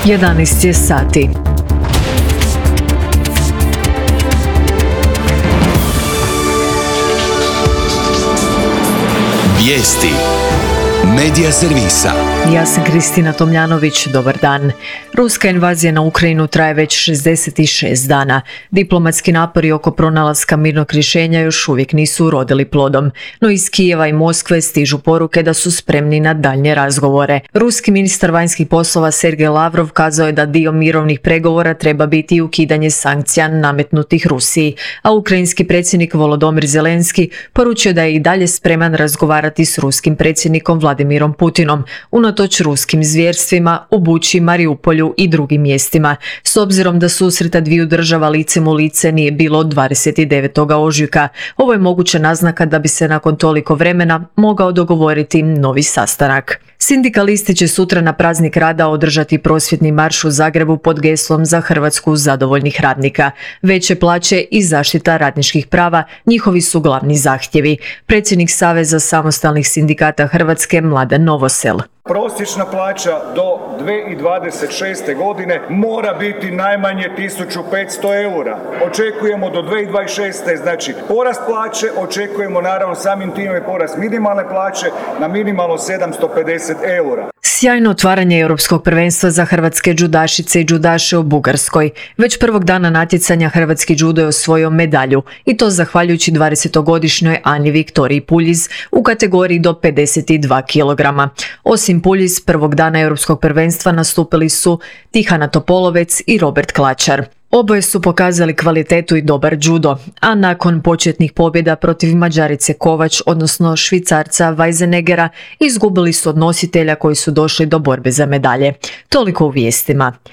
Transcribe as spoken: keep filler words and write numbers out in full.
jedanaest je sati. Vijesti Medija servisa. Ja sam Kristina Tomljanović, dobar dan. Ruska invazija na Ukrajinu traje već šezdeset šest dana. Diplomatski napori oko pronalaska mirnog rješenja još uvijek nisu urodili plodom, no iz Kijeva i Moskve stižu poruke da su spremni na daljnje razgovore. Ruski ministar vanjskih poslova Sergej Lavrov kazao je da dio mirovnih pregovora treba biti ukidanje sankcija nametnutih Rusiji, a ukrajinski predsjednik Volodymyr Zelenski poručio da je i dalje spreman razgovarati s ruskim predsjednikom Vladimirom Putinom, unatoč ruskim zvjerstvima u Buči, Mariupolju i drugim mjestima, s obzirom da susreta dviju država licem u lice nije bilo od dvadeset devetog ožujka. Ovo je moguća naznaka da bi se nakon toliko vremena mogao dogovoriti novi sastanak. Sindikalisti će sutra na praznik rada održati prosvjedni marš u Zagrebu pod geslom za Hrvatsku zadovoljnih radnika. Veće plaće i zaštita radničkih prava njihovi su glavni zahtjevi. Predsjednik Saveza samostalnih sindikata Hrvatske Mladen Novosel. Prosječna plaća do dvije tisuće dvadeset šeste. godine mora biti najmanje tisuću petsto eura. Očekujemo do dvije tisuće dvadeset šeste. znači porast plaće, očekujemo naravno samim time porast minimalne plaće na minimalno sedamsto pedeset eura. Sjajno otvaranje Europskog prvenstva za hrvatske džudašice i džudaše u Bugarskoj. Već prvog dana natjecanja hrvatski džudo je osvojio medalju i to zahvaljujući dvadesetogodišnjoj Ani Viktoriji Puljiz u kategoriji do pedeset dva kilograma. Osim Puljiz, prvog dana Europskog prvenstva nastupili su Tihana Topolovec i Robert Klačar. Oboje su pokazali kvalitetu i dobar džudo, a nakon početnih pobjeda protiv Mađarice Kovač, odnosno Švicarca Weisenegera, izgubili su od nositelja koji su došli do borbe za medalje. Toliko u vijestima.